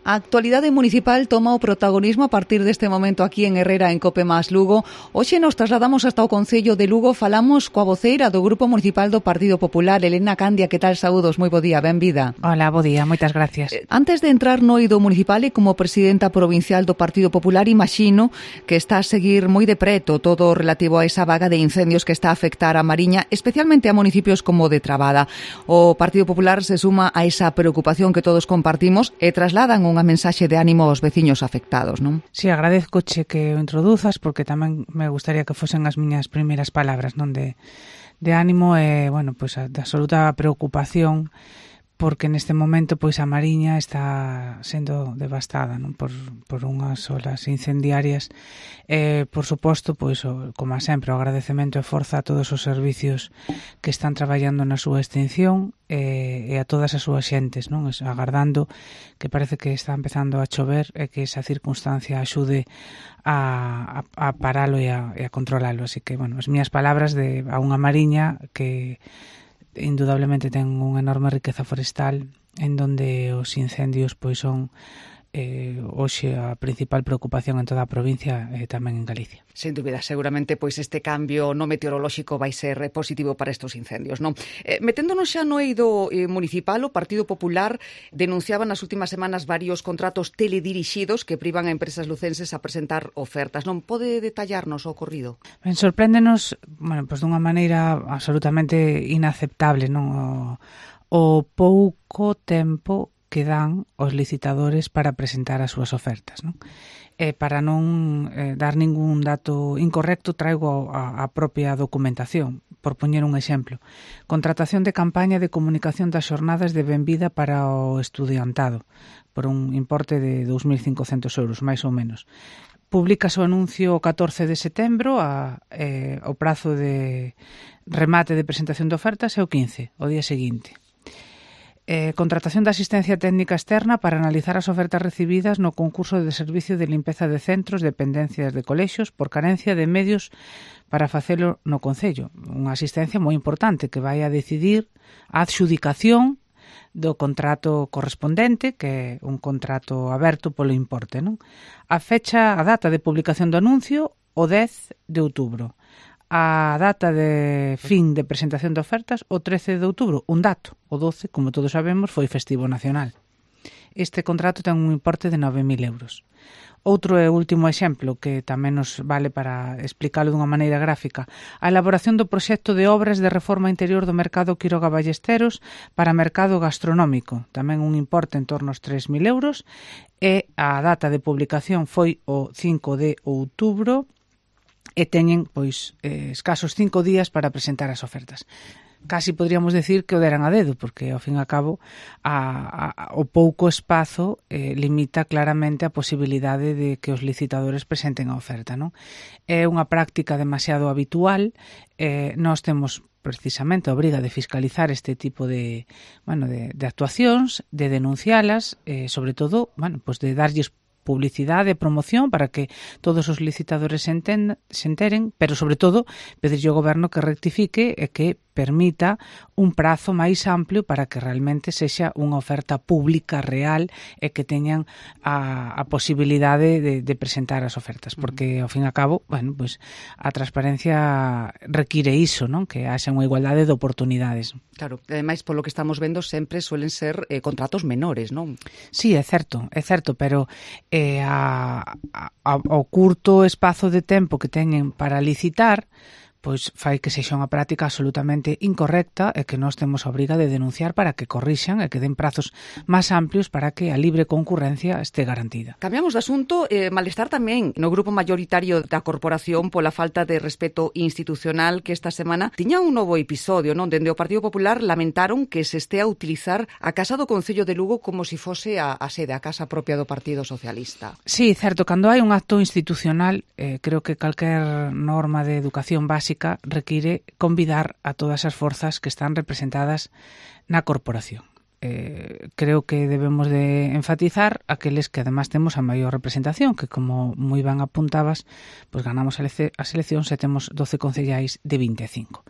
A actualidade municipal toma o protagonismo a partir deste momento aquí en Herrera, en Cope Más Lugo. Hoxe nos trasladamos hasta o Concello de Lugo, falamos coa voceira do Grupo Municipal do Partido Popular, Elena Candia. Que tal? Saúdos, moi bo día, benvida. Hola, bo día, moitas gracias. Antes de entrar no eido municipal e como presidenta provincial do Partido Popular, imagino que está a seguir moi de preto todo relativo a esa vaga de incendios que está a afectar a Mariña, especialmente a municipios como de Trabada. O Partido Popular se suma a esa preocupación que todos compartimos e trasladan unha mensaxe de ánimo aos veciños afectados, non? Si, agradezcoche que o introduzas porque tamén me gustaría que fosen as miñas primeiras palabras, non, de ánimo e, bueno, pois de absoluta preocupación porque neste momento pois a Mariña está sendo devastada, non, por unhas olas incendiarias. Por suposto, pois como sempre, o agradecemento e forza a todos os servicios que están traballando na súa extinción e a todas as súas xentes, non, agardando que parece que está empezando a chover e que esa circunstancia axude a paralo e a controlalo. Así que, bueno, as miñas palabras a unha Mariña que indudablemente ten unha enorme riqueza forestal en donde os incendios pois son hoxe a principal preocupación en toda a provincia e tamén en Galicia. Sen dúbida, seguramente pois este cambio no meteorolóxico vai ser positivo para estes incendios, non? Meténdonos xa no eido municipal, o Partido Popular denunciaba nas últimas semanas varios contratos teledirixidos que privan a empresas lucenses a presentar ofertas, non? Pode detallarnos o ocorrido? Ben, sorpréndenos, bueno, pois dunha maneira absolutamente inaceptable, non? O pouco tempo que dan os licitadores para presentar as súas ofertas, non? Para non dar ningún dato incorrecto, traigo a propia documentación. Por poñer un exemplo, contratación de campaña de comunicación das xornadas de benvida para o estudiantado, por un importe de 2.500 euros, máis ou menos. Públicase o anuncio o 14 de setembro, o prazo de remate de presentación de ofertas é o 15, o día seguinte. Contratación de asistencia técnica externa para analizar as ofertas recibidas no concurso de servicio de limpeza de centros, dependencias de colexios, por carencia de medios para facelo no Concello. Unha asistencia moi importante que vai a decidir a adxudicación do contrato correspondente, que é un contrato aberto polo importe, non? A data de publicación do anuncio, o 10 de outubro. A data de fin de presentación de ofertas, o 13 de outubro, un dato. O 12, como todos sabemos, foi festivo nacional. Este contrato ten un importe de 9.000 euros. Outro e último exemplo, que tamén nos vale para explicalo dunha maneira gráfica, a elaboración do proxecto de obras de reforma interior do mercado Quiroga Ballesteros para mercado gastronómico, tamén un importe en torno aos 3.000 euros, e a data de publicación foi o 5 de outubro, e teñen pois escasos 5 días para presentar as ofertas. Casi podríamos decir que o deran a dedo, porque ao fin e ao cabo o pouco espazo limita claramente a posibilidade de que os licitadores presenten a oferta, non? É unha práctica demasiado habitual. Nós temos precisamente a obriga de fiscalizar este tipo de actuacións, de denuncialas, sobre todo, pues de darlles publicidade e promoción para que todos os licitadores se enteren, pero sobre todo pedirlle ao goberno que rectifique e que permita un prazo máis amplio para que realmente sexa unha oferta pública real e que teñan a posibilidade de presentar as ofertas, porque ao fin e ao cabo, pues a transparencia require iso, non? Que haxa unha igualdade de oportunidades. Claro, ademais polo que estamos vendo sempre suelen ser contratos menores, non? Sí, é certo, pero ao curto espazo de tempo que teñen para licitar, pois fai que sexa unha práctica absolutamente incorrecta e que nós temos a obriga de denunciar para que corrixan e que den prazos máis amplios para que a libre concurrencia este garantida. Cambiamos de asunto, malestar tamén no grupo maioritario da corporación pola falta de respeto institucional que esta semana tiña un novo episodio, non? Dende o Partido Popular lamentaron que se estea a utilizar a Casa do Concello de Lugo como se fose a sede, a casa propia do Partido Socialista. Sí, certo, cando hai un acto institucional, creo que calquer norma de educación básica require convidar a todas as forzas que están representadas na corporación. Creo que debemos de enfatizar aqueles que además temos a maior representación, que como moi ben apuntabas, pues ganamos as eleccións e temos 12 concellais de 25.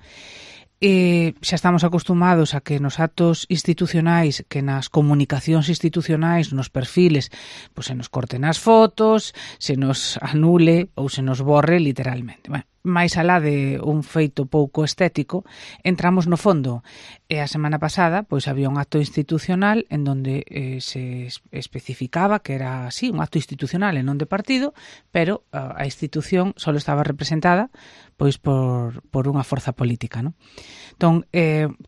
xa estamos acostumados a que nos actos institucionais, que nas comunicacións institucionais, nos perfiles, pois se nos corten as fotos, se nos anule ou se nos borre literalmente. Bueno, máis alá de un feito pouco estético, entramos no fondo. E a semana pasada, pois había un acto institucional en donde se especificaba que era así, un acto institucional e non de partido, pero a institución só estaba representada pois por unha forza política, non? Entón,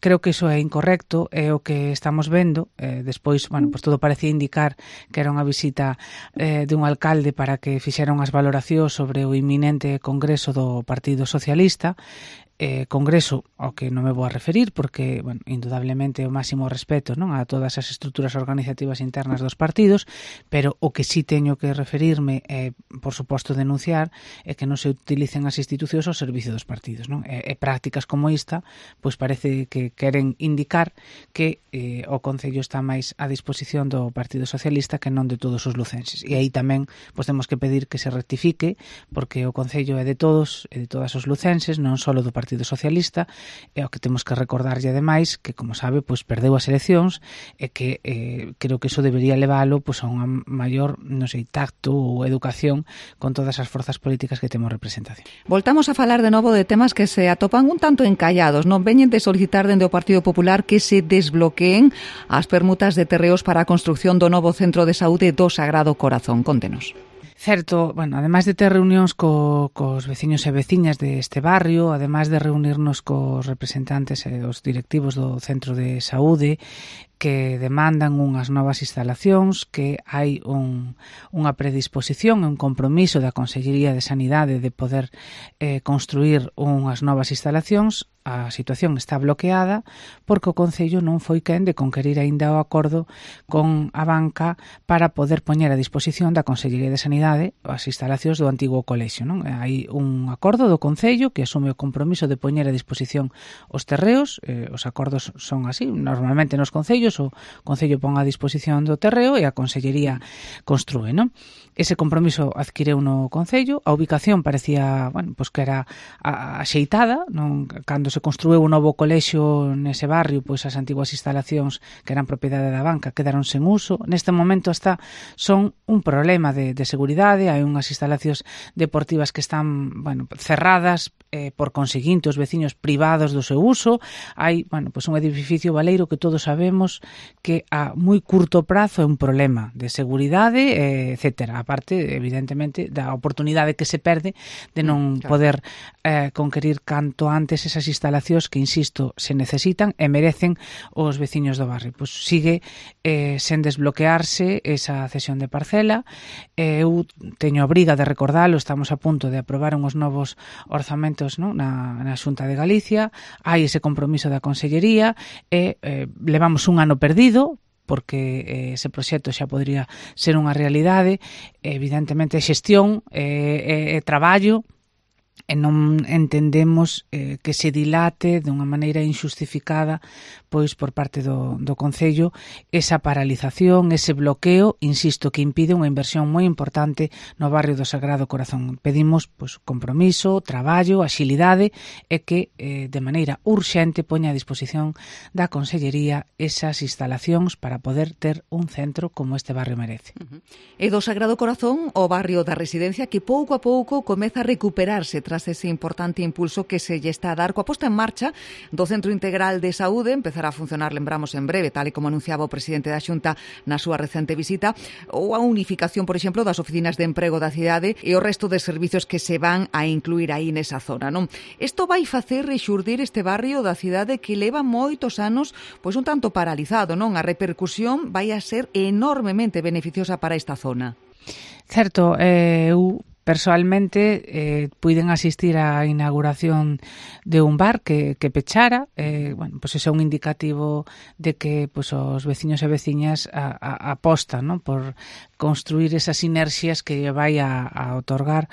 creo que iso é incorrecto, é o que estamos vendo. Despois, bueno, pois todo parecía indicar que era unha visita dun alcalde para que fixera unhas valoracións sobre o inminente congreso do Partido Socialista, congreso ao que non me vou a referir porque, bueno, indudablemente o máximo respeto, non, a todas as estruturas organizativas internas dos partidos, pero o que sí teño que referirme é, por suposto, denunciar é que non se utilicen as institucións ao servicio dos partidos, non? E prácticas como esta, pois parece que queren indicar que o Concello está máis a disposición do Partido Socialista que non de todos os lucenses. E aí tamén pois temos que pedir que se rectifique, porque o Concello é de todos e de todas os lucenses, non só do Partido Socialista, e o que temos que recordarlle ademais que, como sabe, pois perdeu as eleccións e que creo que iso debería leválo pois a unha maior, non sei, tacto ou educación con todas as forzas políticas que temos representación. Voltamos a falar de novo de temas que se atopan un tanto encallados, non? Veñen de solicitar dende o Partido Popular que se desbloqueen as permutas de terreos para a construción do novo centro de saúde do Sagrado Corazón. Contenos. Certo, bueno, ademais de ter reunións cos veciños e veciñas deste barrio, ademais de reunirnos cos representantes e os directivos do centro de saúde, que demandan unhas novas instalacións, que hai unha predisposición e un compromiso da Consellería de Sanidade de poder construir unhas novas instalacións. A situación está bloqueada porque o Concello non foi quen de conquerir aínda o acordo con a banca para poder poñer a disposición da Consellería de Sanidade as instalacións do antigo colexio, non? Hai un acordo do Concello que asume o compromiso de poñer a disposición os terreos, os acordos son así, normalmente nos concellos o Concello pon a disposición do terreo e a Consellería construe, non? Ese compromiso adquireu no Concello, a ubicación parecía, bueno, pois que era axeitada, non? Cando se construiu un novo colexio nese barrio, pois as antiguas instalacións que eran propiedade da banca quedaron sen uso. Neste momento son un problema de seguridade, hai unhas instalacións deportivas que están, bueno, cerradas, por conseguinte os veciños privados do seu uso. Hai, bueno, pois un edificio baleiro que todos sabemos que a moi curto prazo é un problema de seguridade, etcétera. Aparte, evidentemente, da oportunidade que se perde de non poder conquerir canto antes esas instalacións que, insisto, se necesitan e merecen os veciños do barrio. Pois sigue sen desbloquearse esa cesión de parcela. Eu teño a obriga de recordalo, estamos a punto de aprobar uns novos orzamentos, non, na Xunta de Galicia, hai ese compromiso da Consellería e levamos un ano perdido porque ese proxecto xa podría ser unha realidade. Evidentemente xestión e traballo, e non entendemos que se dilate dunha maneira injustificada pois por parte do Concello esa paralización, ese bloqueo, insisto, que impide unha inversión moi importante no barrio do Sagrado Corazón. Pedimos pois compromiso, traballo, axilidade e que de maneira urxente poña a disposición da Consellería esas instalacións para poder ter un centro como este barrio merece. E do Sagrado Corazón, o barrio da Residencia, que pouco a pouco comeza a recuperarse tras ese importante impulso que se lle está a dar coa posta en marcha do Centro Integral de Saúde, empezará a funcionar, lembramos, en breve, tal e como anunciaba o presidente da Xunta na súa recente visita, ou a unificación, por exemplo, das oficinas de emprego da cidade e o resto de servicios que se van a incluir aí nesa zona, non? Isto vai facer rexurdir este barrio da cidade que leva moitos anos pois un tanto paralizado, non? A repercusión vai a ser enormemente beneficiosa para esta zona. Certo, eu persoalmente puiden asistir á inauguración de un bar que pechara. Bueno, pois ese é un indicativo de que pois os veciños e veciñas apostan, non, por construir esas sinerxias que vai a otorgar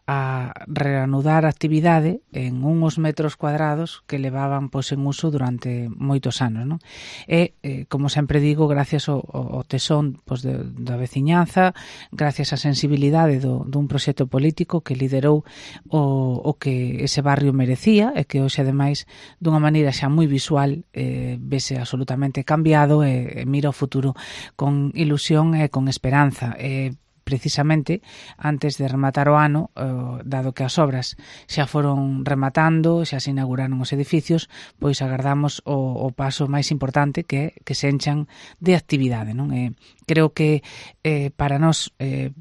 a reanudar a actividade en uns metros cuadrados que levaban pois en uso durante moitos anos, non? E, como sempre digo, gracias ao tesón pois da veciñanza, gracias á sensibilidade dun proxecto xeito político que liderou o que ese barrio merecía e que hoxe ademais dunha maneira xa moi visual vese absolutamente cambiado e mira o futuro con ilusión e con esperanza. Precisamente antes de rematar o ano, dado que as obras xa foron rematando, xa se inauguraron os edificios, pois agardamos o paso máis importante que se enchan de actividade, non? Creo que para nós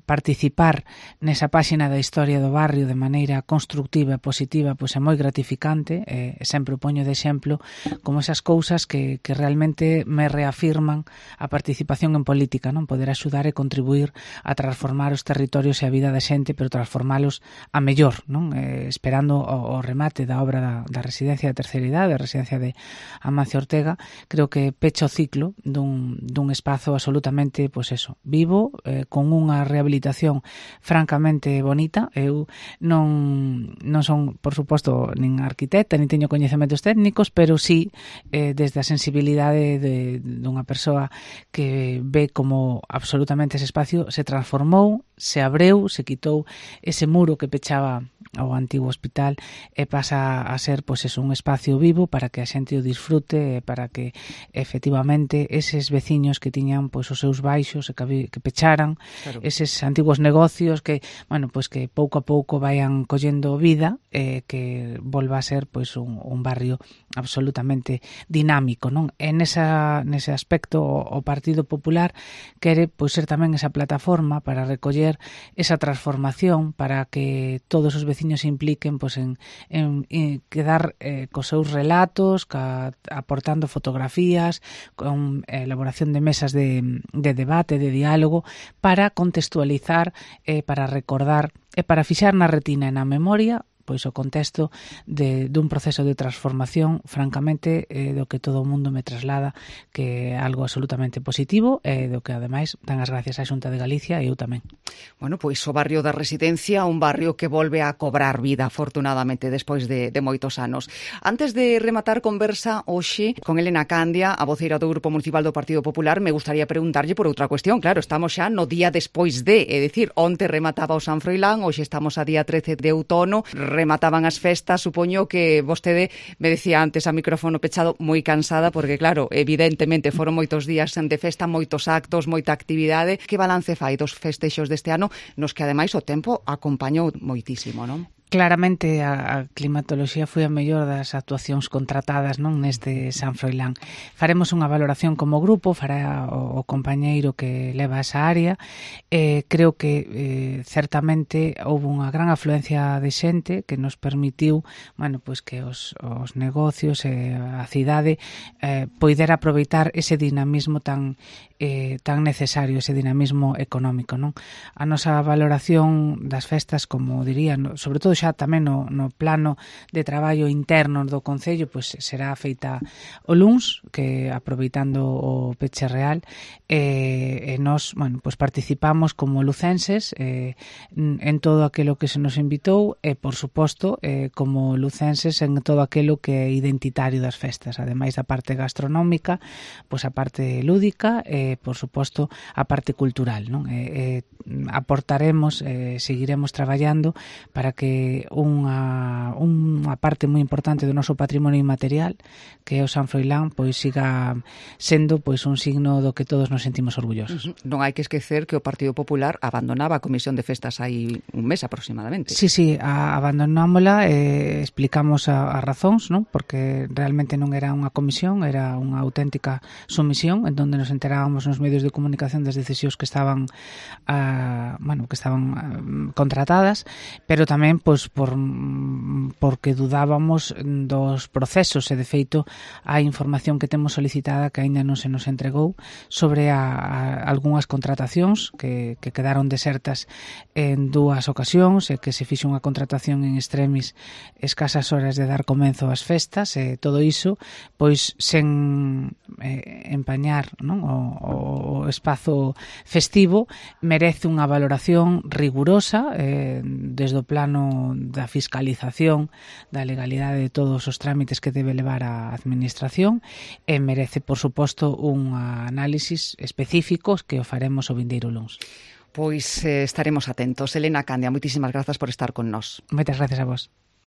participar nesa páxina da historia do barrio de maneira constructiva e positiva pois é moi gratificante, sempre o poño de exemplo como esas cousas que realmente me reafirman a participación en política, non? Poder axudar e contribuir a transformar os territorios e a vida da xente, pero transformalos a mellor, non? Esperando o remate da obra da residencia de terceira idade, a residencia de Amancio Ortega, creo que pecha o ciclo dun espazo absolutamente, pois eso, vivo, con unha rehabilitación francamente bonita. Eu non son, por suposto, nin arquitecta, nin teño coñecementos técnicos, pero sí desde a sensibilidade dunha persoa que ve como absolutamente ese espacio se transformou, se abreu, se quitou ese muro que pechaba ao antigo hospital e pasa a ser pois un espacio vivo para que a xente o disfrute e para que efectivamente eses veciños que tiñan pois os seus baixos e que pecharan, claro, eses antigos negocios que, bueno, pois que pouco a pouco vayan collendo vida e que volva a ser pois un barrio absolutamente dinámico, non? En nese aspecto o Partido Popular quere pois ser tamén esa plataforma para recoller esa transformación, para que todos os veciños se impliquen pois en quedar cos seus relatos, aportando fotografías, con elaboración de mesas de debate, de diálogo, para contextualizar, para recordar e para fixar na retina e na memoria pois o contexto dun proceso de transformación francamente do que todo o mundo me traslada que é algo absolutamente positivo e do que ademais dan as gracias á Xunta de Galicia e eu tamén. Bueno, pois o barrio da Residencia, un barrio que volve a cobrar vida afortunadamente despois de moitos anos. Antes de rematar conversa hoxe con Elena Candia, a voceira do Grupo Municipal do Partido Popular, me gustaría preguntarlle por outra cuestión. Claro, estamos xa no día despois de, é dicir, onte remataba o San Froilán, hoxe estamos a día 13 de outono, remataban as festas, supoño que vostede me decía antes a micrófono pechado moi cansada, porque claro, evidentemente foron moitos días de festa, moitos actos, moita actividade. Que balance fai dos festexos deste ano, nos que ademais o tempo acompañou moitísimo, non? Claramente a climatoloxía foi a mellor das actuacións contratadas, non, neste San Froilán. Faremos unha valoración como grupo, fará o compañeiro que leva esa área. Creo que certamente houve unha gran afluencia de xente que nos permitiu, bueno, pois que os negocios e a cidade poidera aproveitar ese dinamismo tan necesario, ese dinamismo económico, non? A nosa valoración das festas, como diría, sobre todo xa tamén no plano de traballo interno do Concello, pois será feita o luns, que aproveitando o peche real, e nós, bueno, pois participamos como lucenses en todo aquilo que se nos invitou e, por suposto, como lucenses en todo aquilo que é identitario das festas, ademais da parte gastronómica, pois a parte lúdica e, por suposto, a parte cultural, non? Aportaremos, seguiremos traballando para que unha parte moi importante do noso patrimonio inmaterial, que é o San Froilán, pois siga sendo pois un signo do que todos nos sentimos orgullosos. Non hai que esquecer que o Partido Popular abandonaba a Comisión de Festas hai un mes aproximadamente. Sí, abandonámola, explicamos as razóns, non? Porque realmente non era unha comisión, era unha auténtica sumisión en donde nos enterábamos nos medios de comunicación das decisións que estaban contratadas, pero tamén pois porque dudábamos dos procesos e de feito a información que temos solicitada que aínda non se nos entregou sobre algunhas contratacións que quedaron desertas en dúas ocasións e que se fixo unha contratación en extremis escasas horas de dar comenzo ás festas e todo iso pois sen empañar, non, o espazo festivo merece unha valoración rigurosa desde o plano da fiscalización da legalidade de todos os trámites que debe levar a administración e merece, por suposto, un análisis específico que o faremos o vindeiro luns. Pois estaremos atentos. Elena Candia, moitísimas grazas por estar con nós. Moitas gracias a vos.